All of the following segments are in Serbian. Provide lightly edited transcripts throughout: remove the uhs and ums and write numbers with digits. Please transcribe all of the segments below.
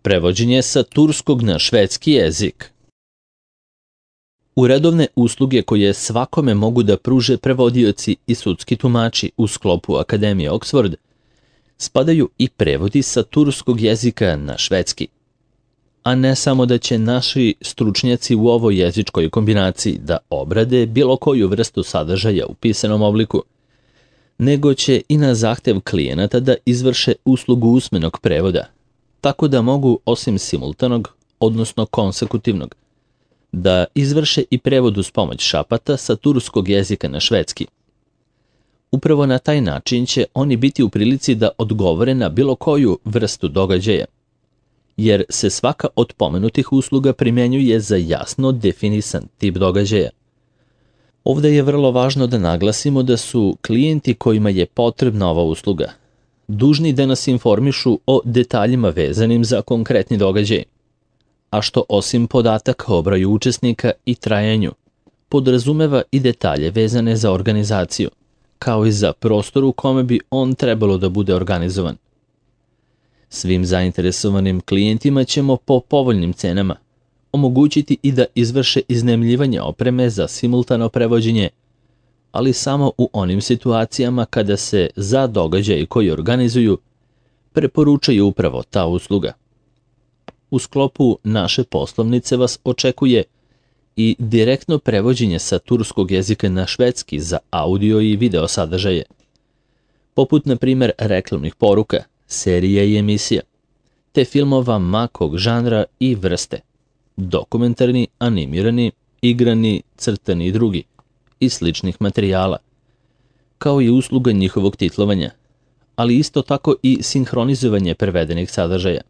Prevođenje sa turskog na švedski jezik. U redovne usluge koje svakome mogu da pruže prevodioci i sudski tumači u sklopu Akademije Oxford spadaju i prevodi sa turskog jezika na švedski. A ne samo da će naši stručnjaci u ovoj jezičkoj kombinaciji da obrade bilo koju vrstu sadržaja u pisanom obliku, nego će i na zahtev klijenata da izvrše uslugu usmenog prevoda, tako da mogu osim simultanog, odnosno konsekutivnog, da izvrše i prevod uz pomoć šapata sa turskog jezika na švedski. Upravo na taj način će oni biti u prilici da odgovore na bilo koju vrstu događaja, jer se svaka od pomenutih usluga primjenjuje za jasno definisan tip događaja. Ovdje je vrlo važno da naglasimo da su klijenti kojima je potrebna ova usluga dužni da nas informišu o detaljima vezanim za konkretni događaj, a što osim podataka o broju učesnika i trajanju, podrazumeva i detalje vezane za organizaciju, kao i za prostor u kome bi on trebalo da bude organizovan. Svim zainteresovanim klijentima ćemo po povoljnim cenama omogućiti i da izvrše iznajmljivanje opreme za simultano prevođenje, ali samo u onim situacijama kada se za događaj koji organizuju preporučuje upravo ta usluga. U sklopu naše poslovnice vas očekuje i direktno prevođenje sa turskog jezika na švedski za audio i video sadržaje, poput na primjer reklamnih poruka, serija i emisija, te filmova makog žanra i vrste, dokumentarni, animirani, igrani, crtani i drugi, i sličnih materijala, kao i usluga njihovog titlovanja, ali isto tako i sinhronizovanje prevedenih sadržaja.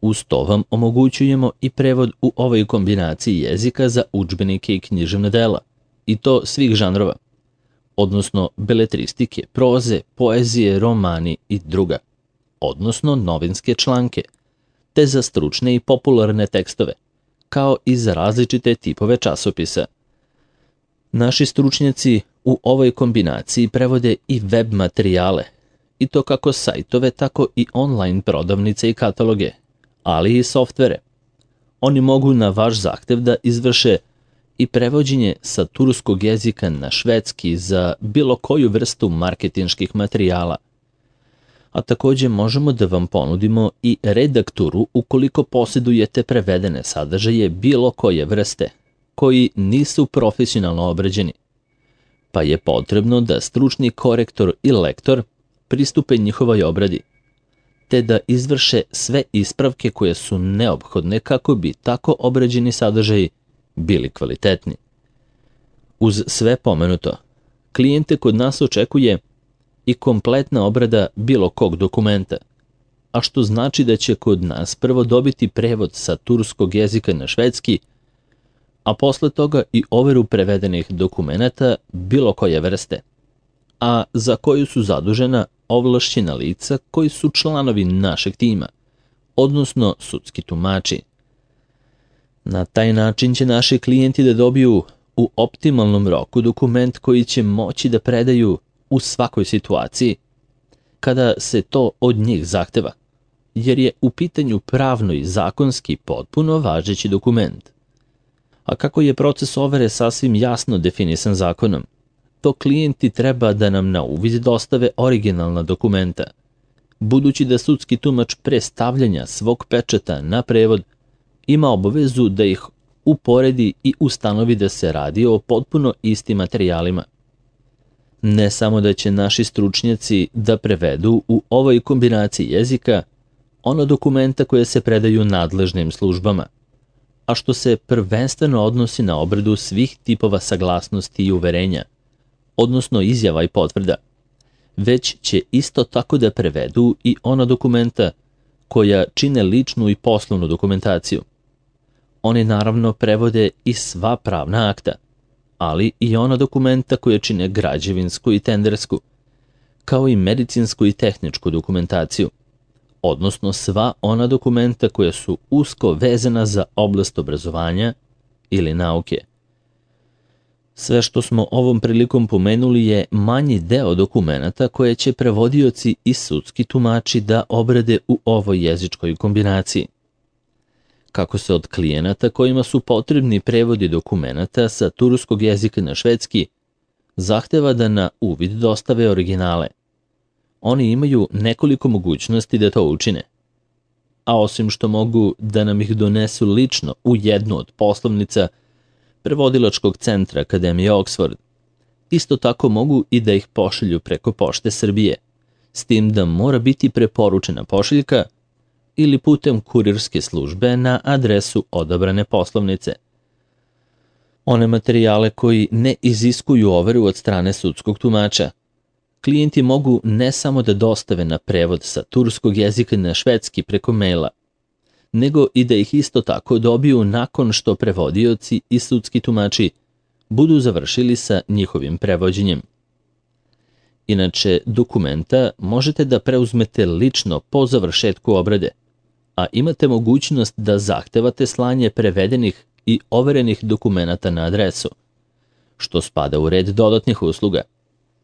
Uz to vam omogućujemo i prevod u ovoj kombinaciji jezika za udžbenike i književna dela, i to svih žanrova, odnosno beletristike, proze, poezije, romani i druga, odnosno novinske članke, te za stručne i popularne tekstove, kao i za različite tipove časopisa. Naši stručnjaci u ovoj kombinaciji prevode i web materijale, i to kako sajtove, tako i online prodavnice i kataloge, ali i softvere. Oni mogu na vaš zahtev da izvrše i prevođenje sa turskog jezika na švedski za bilo koju vrstu marketinških materijala. A također možemo da vam ponudimo i redakturu ukoliko posjedujete prevedene sadržaje bilo koje vrste, koji nisu profesionalno obrađeni, pa je potrebno da stručni korektor i lektor pristupe njihovoj obradi, te da izvrše sve ispravke koje su neophodne kako bi tako obrađeni sadržaji bili kvalitetni. Uz sve pomenuto, klijente kod nas očekuje i kompletna obrada bilo kog dokumenta, a što znači da će kod nas prvo dobiti prevod sa turskog jezika na švedski, a posle toga i overu prevedenih dokumenata bilo koje vrste, a za koju su zadužena ovlašćena lica koji su članovi našeg tima, odnosno sudski tumači. Na taj način će naši klijenti da dobiju u optimalnom roku dokument koji će moći da predaju u svakoj situaciji kada se to od njih zahteva, jer je u pitanju pravno i zakonski potpuno važeći dokument. A kako je proces overe sasvim jasno definisan zakonom, to klijenti treba da nam na uvid dostave originalna dokumenta, budući da sudski tumač pre stavljanja svog pečata na prevod ima obavezu da ih uporedi i ustanovi da se radi o potpuno istim materijalima. Ne samo da će naši stručnjaci da prevedu u ovoj kombinaciji jezika ona dokumenta koje se predaju nadležnim službama, a što se prvenstveno odnosi na obradu svih tipova saglasnosti i uverenja, odnosno izjava i potvrda, već će isto tako da prevedu i ona dokumenta koja čine ličnu i poslovnu dokumentaciju. Oni naravno prevode i sva pravna akta, ali i ona dokumenta koja čine građevinsku i tendersku, kao i medicinsku i tehničku dokumentaciju, odnosno sva ona dokumenta koja su usko vezana za oblast obrazovanja ili nauke. Sve što smo ovom prilikom pomenuli je manji deo dokumenata koje će prevodioci i sudski tumači da obrade u ovoj jezičkoj kombinaciji. Kako se od klijenata kojima su potrebni prevodi dokumenata sa turskog jezika na švedski zahteva da na uvid dostave originale. Oni imaju nekoliko mogućnosti da to učine. A osim što mogu da nam ih donesu lično u jednu od poslovnica prevodilačkog centra Akademije Oxford, isto tako mogu i da ih pošalju preko Pošte Srbije, s tim da mora biti preporučena pošiljka ili putem kurirske službe na adresu odabrane poslovnice. One materijale koji ne iziskuju overu od strane sudskog tumača, klijenti mogu ne samo da dostave na prevod sa turskog jezika na švedski preko maila, nego i da ih isto tako dobiju nakon što prevodioci i sudski tumači budu završili sa njihovim prevođenjem. Inače, dokumenta možete da preuzmete lično po završetku obrade, a imate mogućnost da zahtevate slanje prevedenih i overenih dokumenata na adresu, što spada u red dodatnih usluga,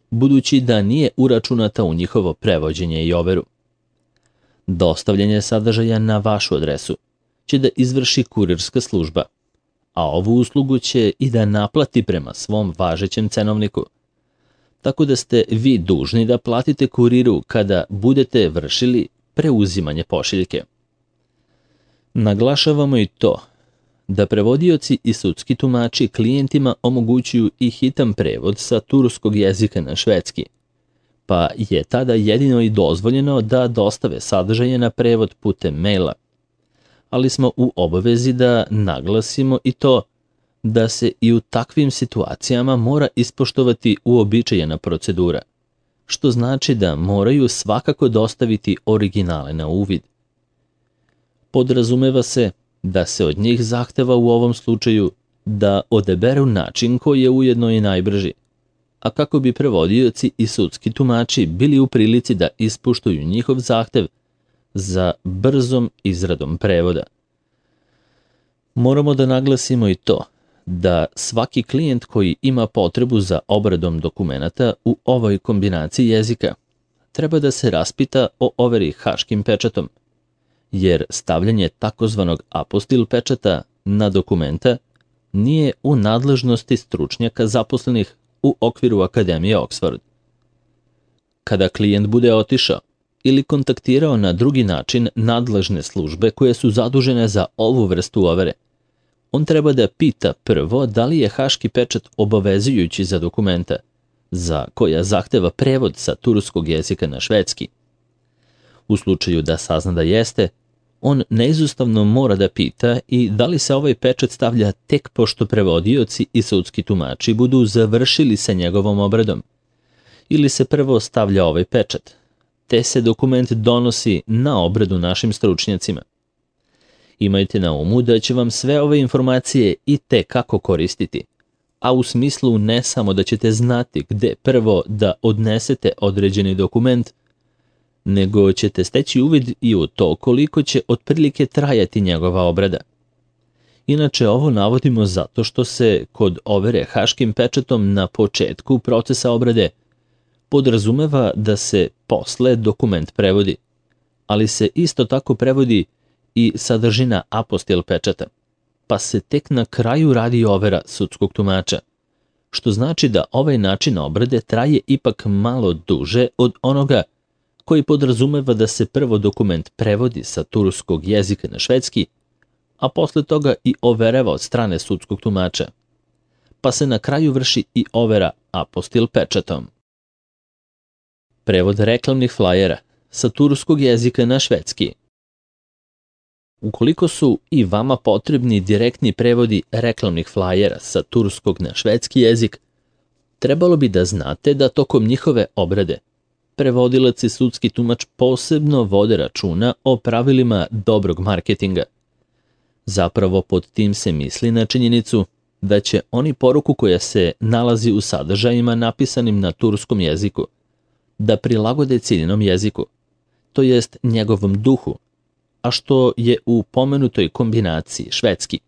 budući da nije uračunata u njihovo prevođenje i overu. Dostavljanje sadržaja na vašu adresu će da izvrši kurirska služba, a ovu uslugu će i da naplati prema svom važećem cenovniku. Tako da ste vi dužni da platite kuriru kada budete vršili preuzimanje pošiljke. Naglašavamo i to da prevodioci i sudski tumači klijentima omogućuju i hitan prevod sa turskog jezika na švedski, pa je tada jedino i dozvoljeno da dostave sadržaje na prevod putem maila. Ali smo u obavezi da naglasimo i to da se i u takvim situacijama mora ispoštovati uobičajena procedura, što znači da moraju svakako dostaviti originale na uvid. Podrazumeva se da se od njih zahteva u ovom slučaju da odaberu način koji je ujedno i najbrži, a kako bi prevodioci i sudski tumači bili u prilici da ispoštuju njihov zahtev za brzom izradom prevoda. Moramo da naglasimo i to da svaki klijent koji ima potrebu za obradom dokumenata u ovoj kombinaciji jezika treba da se raspita o overi haškim pečatom, jer stavljanje takozvanog apostil pečata na dokumenta nije u nadležnosti stručnjaka zaposlenih u okviru Akademije Oxford. Kada klijent bude otišao ili kontaktirao na drugi način nadležne službe koje su zadužene za ovu vrstu overe, on treba da pita prvo da li je haški pečat obavezujući za dokumenta, za koja zahteva prevod sa turskog jezika na švedski. U slučaju da sazna da jeste, on neizostavno mora da pita i da li se ovaj pečat stavlja tek pošto prevodioci i sudski tumači budu završili sa njegovom obradom, ili se prvo stavlja ovaj pečat, te se dokument donosi na obradu našim stručnjacima. Imajte na umu da će vam sve ove informacije i te kako koristiti, a u smislu ne samo da ćete znati gde prvo da odnesete određeni dokument, nego ćete steći uvid i u to koliko će otprilike trajati njegova obrada. Inače, ovo navodimo zato što se kod overe haškim pečatom na početku procesa obrade podrazumeva da se posle dokument prevodi, ali se isto tako prevodi i sadržina apostil pečata, pa se tek na kraju radi overa sudskog tumača, što znači da ovaj način obrade traje ipak malo duže od onoga koji podrazumeva da se prvo dokument prevodi sa turskog jezika na švedski, a posle toga i overava od strane sudskog tumača, pa se na kraju vrši i overa apostil pečatom. Prevod reklamnih flajera sa turskog jezika na švedski. Ukoliko su i vama potrebni direktni prevodi reklamnih flajera sa turskog na švedski jezik, trebalo bi da znate da tokom njihove obrade prevodilac i sudski tumač posebno vode računa o pravilima dobrog marketinga. Zapravo pod tim se misli na činjenicu da će oni poruku koja se nalazi u sadržajima napisanim na turskom jeziku da prilagode ciljenom jeziku, to jest njegovom duhu, a što je u pomenutoj kombinaciji švedski,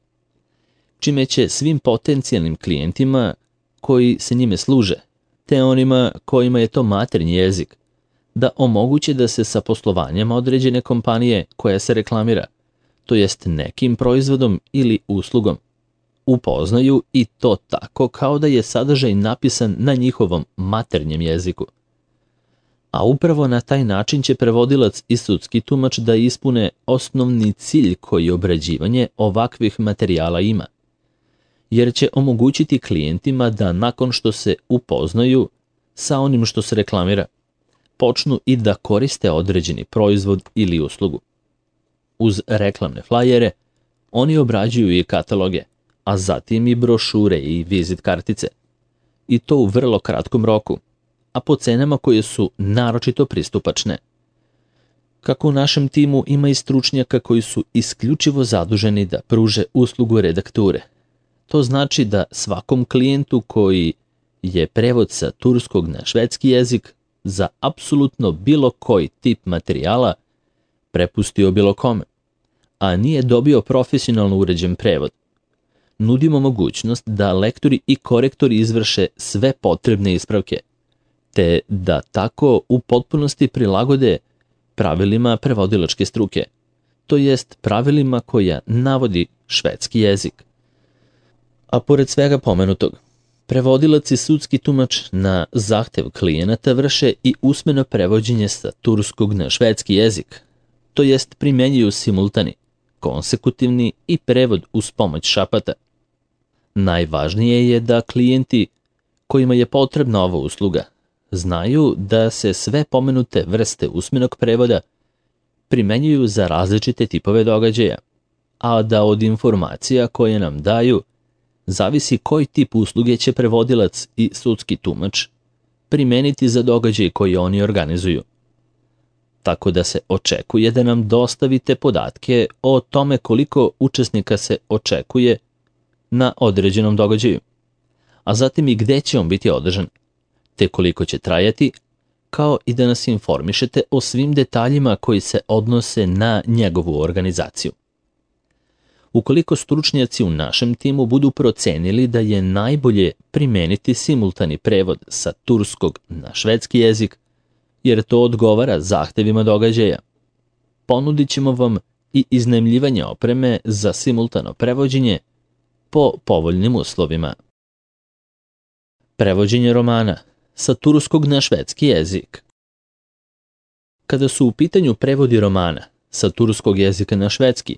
čime će svim potencijalnim klijentima koji se njime služe, te onima kojima je to maternji jezik, da omoguće da se sa poslovanjem određene kompanije koja se reklamira, to jest nekim proizvodom ili uslugom, upoznaju i to tako kao da je sadržaj napisan na njihovom maternjem jeziku. A upravo na taj način će prevodilac i sudski tumač da ispune osnovni cilj koji obrađivanje ovakvih materijala ima, jer će omogućiti klijentima da nakon što se upoznaju sa onim što se reklamira, počnu i da koriste određeni proizvod ili uslugu. Uz reklamne flajere, oni obrađuju i kataloge, a zatim i brošure i vizit kartice. I to u vrlo kratkom roku, a po cenama koje su naročito pristupačne. Kako u našem timu ima i stručnjaka koji su isključivo zaduženi da pruže uslugu redakture. To znači da svakom klijentu koji je prevod sa turskog na švedski jezik za apsolutno bilo koji tip materijala prepustio bilo kome, a nije dobio profesionalno uređen prevod. Nudimo mogućnost da lektori i korektori izvrše sve potrebne ispravke, te da tako u potpunosti prilagode pravilima prevodilačke struke, to jest pravilima koja navodi švedski jezik. A pored svega pomenutog, prevodilac i sudski tumač na zahtev klijenata vrše i usmeno prevođenje sa turskog na švedski jezik, to jest primjenjuju simultani, konsekutivni i prevod uz pomoć šapata. Najvažnije je da klijenti kojima je potrebna ova usluga znaju da se sve pomenute vrste usmenog prevoda primenjuju za različite tipove događaja, a da od informacija koje nam daju zavisi koji tip usluge će prevodilac i sudski tumač primeniti za događaj koji oni organizuju. Tako da se očekuje da nam dostavite podatke o tome koliko učesnika se očekuje na određenom događaju, a zatim i gde će on biti održan, te koliko će trajati, kao i da nas informišete o svim detaljima koji se odnose na njegovu organizaciju. Ukoliko stručnjaci u našem timu budu procenili da je najbolje primeniti simultani prevod sa turskog na švedski jezik, jer to odgovara zahtevima događaja, ponudit ćemo vam i iznajmljivanje opreme za simultano prevođenje po povoljnim uslovima. Prevođenje romana sa turskog na švedski jezik. Kada su u pitanju prevodi romana sa turskog jezika na švedski,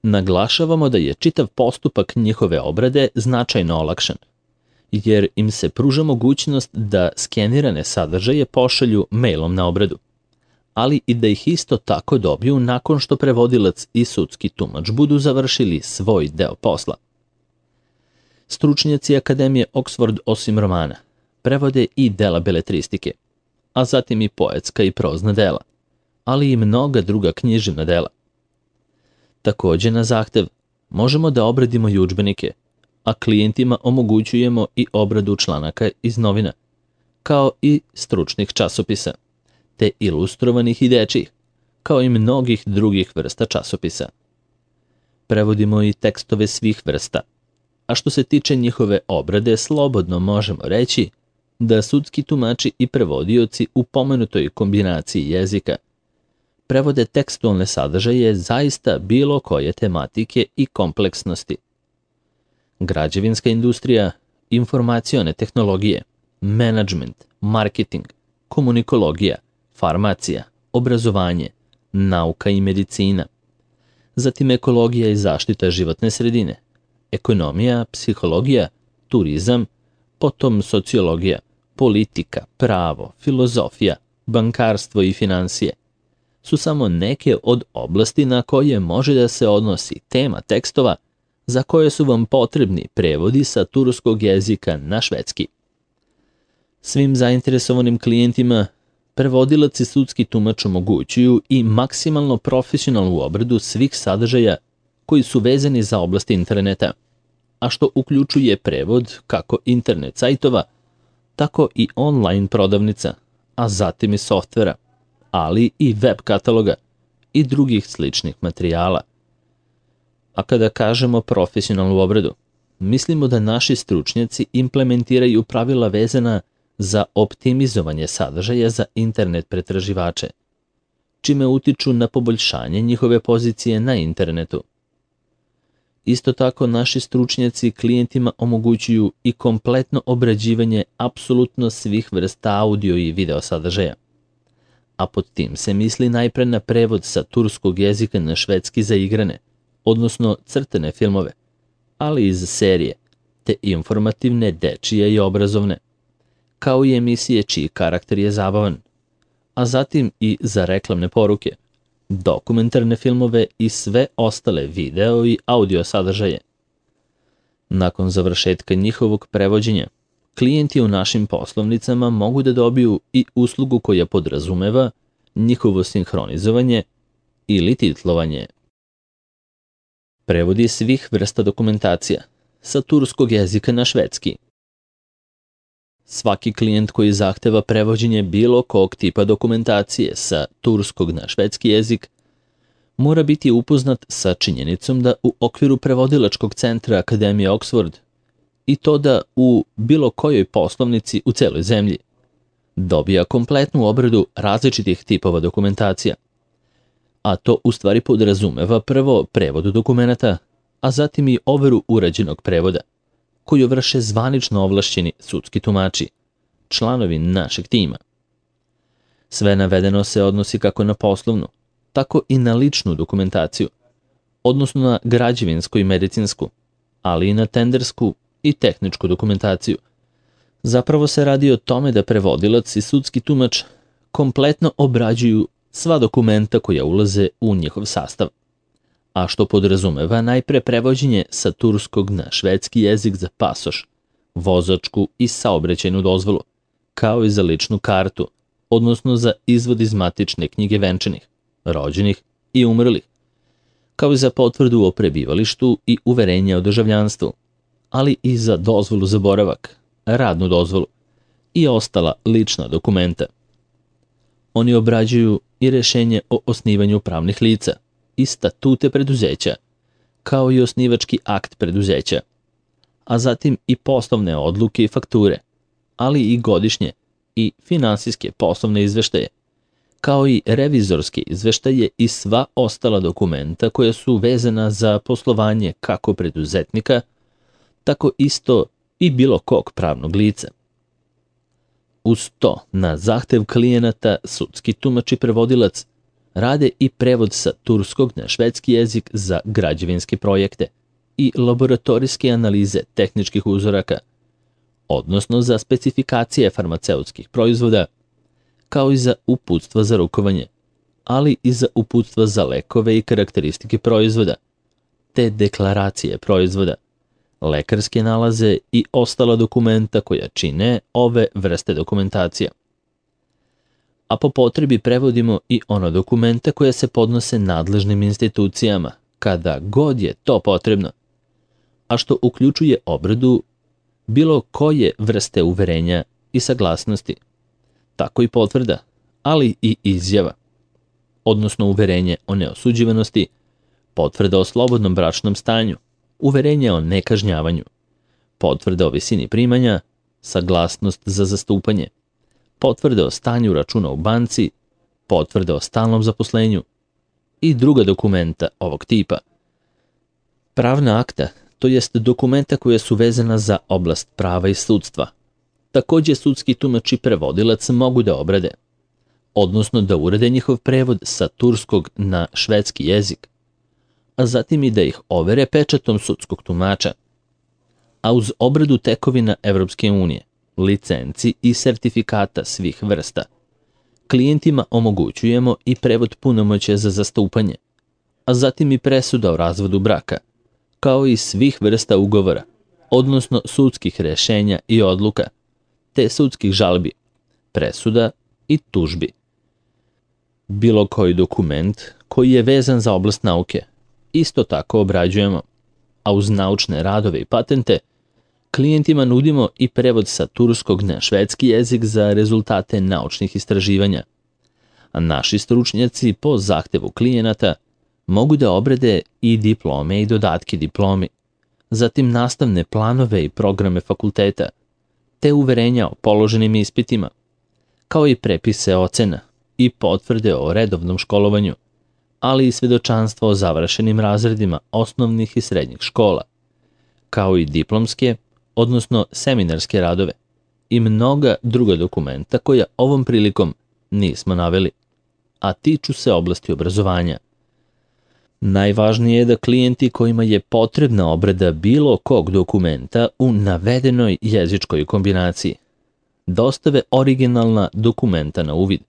naglašavamo da je čitav postupak njihove obrade značajno olakšan, jer im se pruža mogućnost da skenirane sadržaje pošalju mailom na obradu, ali i da ih isto tako dobiju nakon što prevodilac i sudski tumač budu završili svoj deo posla. Stručnjaci Akademije Oxford osim romana prevode i dela beletristike, a zatim i poetska i prozna dela, ali i mnoga druga književna dela. Takođe na zahtev možemo da obradimo i udžbenike, a klijentima omogućujemo i obradu članaka iz novina, kao i stručnih časopisa, te ilustrovanih i dečjih, kao i mnogih drugih vrsta časopisa. Prevodimo i tekstove svih vrsta, a što se tiče njihove obrade, slobodno možemo reći da sudski tumači i prevodioci u pomenutoj kombinaciji jezika prevode tekstualne sadržaje zaista bilo koje tematike i kompleksnosti. Građevinska industrija, informacione tehnologije, menadžment, marketing, komunikologija, farmacija, obrazovanje, nauka i medicina, zatim ekologija i zaštita životne sredine, ekonomija, psihologija, turizam, potom sociologija, politika, pravo, filozofija, bankarstvo i finansije su samo neke od oblasti na koje može da se odnosi tema tekstova za koje su vam potrebni prevodi sa turskog jezika na švedski. Svim zainteresovanim klijentima prevodilac i sudski tumač omogućuju i maksimalno profesionalnu obradu svih sadržaja koji su vezani za oblast interneta, a što uključuje prevod kako internet sajtova, tako i online prodavnica, a zatim i softvera, ali i web kataloga i drugih sličnih materijala. A kada kažemo profesionalnu obradu, mislimo da naši stručnjaci implementiraju pravila vezana za optimizovanje sadržaja za internet pretraživače, čime utiču na poboljšanje njihove pozicije na internetu. Isto tako, naši stručnjaci klijentima omogućuju i kompletno obrađivanje apsolutno svih vrsta audio i video sadržaja. A pod tim se misli najpre na prevod sa turskog jezika na švedski za igrane, odnosno crtane filmove, ali i za serije, te informativne, dečije i obrazovne, kao i emisije čiji karakter je zabavan, a zatim i za reklamne poruke, dokumentarne filmove i sve ostale video i audio sadržaje. Nakon završetka njihovog prevođenja, klijenti u našim poslovnicama mogu da dobiju i uslugu koja podrazumeva njihovo sinhronizovanje ili titlovanje. Prevodi svih vrsta dokumentacija sa turskog jezika na švedski. Svaki klijent koji zahteva prevođenje bilo kog tipa dokumentacije sa turskog na švedski jezik mora biti upoznat sa činjenicom da u okviru prevodilačkog centra Akademije Oxford i to da u bilo kojoj poslovnici u celoj zemlji dobija kompletnu obradu različitih tipova dokumentacija. A to u stvari podrazumeva prvo prevod dokumenata, a zatim i overu urađenog prevoda, koju vrše zvanično ovlašćeni sudski tumači, članovi našeg tima. Sve navedeno se odnosi kako na poslovnu, tako i na ličnu dokumentaciju, odnosno na građevinsku i medicinsku, ali i na tendersku i tehničku dokumentaciju. Zapravo se radi o tome da prevodilac i sudski tumač kompletno obrađuju sva dokumenta koja ulaze u njihov sastav, a što podrazumeva najpre prevođenje sa turskog na švedski jezik za pasoš, vozačku i saobraćajnu dozvolu, kao i za ličnu kartu, odnosno za izvod iz matične knjige venčanih, rođenih i umrlih, kao i za potvrdu o prebivalištu i uverenje o državljanstvu, ali i za dozvolu za boravak, radnu dozvolu i ostala lična dokumenta. Oni obrađuju i rešenje o osnivanju pravnih lica i statute preduzeća, kao i osnivački akt preduzeća, a zatim i poslovne odluke i fakture, ali i godišnje i finansijske poslovne izveštaje, kao i revizorske izveštaje i sva ostala dokumenta koja su vezana za poslovanje kako preduzetnika, tako isto i bilo kog pravnog lica. Uz to, na zahtev klijenata, sudski tumač i prevodilac rade i prevod sa turskog na švedski jezik za građevinske projekte i laboratorijske analize tehničkih uzoraka, odnosno za specifikacije farmaceutskih proizvoda, kao i za uputstva za rukovanje, ali i za uputstva za lekove i karakteristike proizvoda, te deklaracije proizvoda, lekarske nalaze i ostala dokumenta koja čine ove vrste dokumentacija. A po potrebi prevodimo i ona dokumenta koja se podnose nadležnim institucijama, kada god je to potrebno, a što uključuje obradu bilo koje vrste uverenja i saglasnosti, tako i potvrda, ali i izjava, odnosno uverenje o neosuđivanosti, potvrda o slobodnom bračnom stanju, uverenje o nekažnjavanju, potvrda o visini primanja, saglasnost za zastupanje, potvrda o stanju računa u banci, potvrda o stalnom zaposlenju i druga dokumenta ovog tipa. Pravna akta, to jest dokumenta koja su vezana za oblast prava i sudstva, takođe sudski tumač i prevodilac mogu da obrade, odnosno da urade njihov prevod sa turskog na švedski jezik, a zatim i da ih overe pečatom sudskog tumača. A uz obradu tekovina Evropske unije, licenci i sertifikata svih vrsta, klijentima omogućujemo i prevod punomoćja za zastupanje, a zatim i presuda o razvodu braka, kao i svih vrsta ugovora, odnosno sudskih rešenja i odluka, te sudskih žalbi, presuda i tužbi. Bilo koji dokument koji je vezan za oblast nauke, isto tako obrađujemo, a uz naučne radove i patente, klijentima nudimo i prevod sa turskog na švedski jezik za rezultate naučnih istraživanja. A naši stručnjaci po zahtevu klijenata mogu da obrade i diplome i dodatke diplomi, zatim nastavne planove i programe fakulteta, te uverenja o položenim ispitima, kao i prepise ocena i potvrde o redovnom školovanju, ali i svedočanstvo o završenim razredima osnovnih i srednjih škola, kao i diplomske, odnosno seminarske radove i mnoga druga dokumenta koja ovom prilikom nismo naveli, a tiču se oblasti obrazovanja. Najvažnije je da klijenti kojima je potrebna obrada bilo kog dokumenta u navedenoj jezičkoj kombinaciji dostave originalna dokumenta na uvid,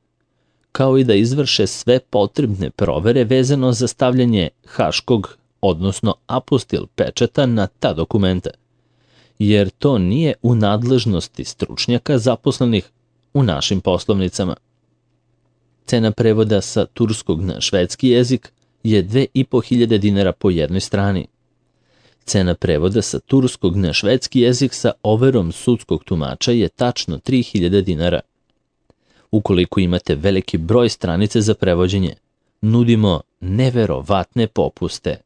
kao i da izvrše sve potrebne provere vezano za stavljanje haškog, odnosno apostil pečata na ta dokumenta, jer to nije u nadležnosti stručnjaka zaposlenih u našim poslovnicama. Cena prevoda sa turskog na švedski jezik je 2.500 dinara po jednoj strani. Cena prevoda sa turskog na švedski jezik sa overom sudskog tumača je tačno 3.000 dinara. Ukoliko imate veliki broj stranice za prevođenje, nudimo neverovatne popuste.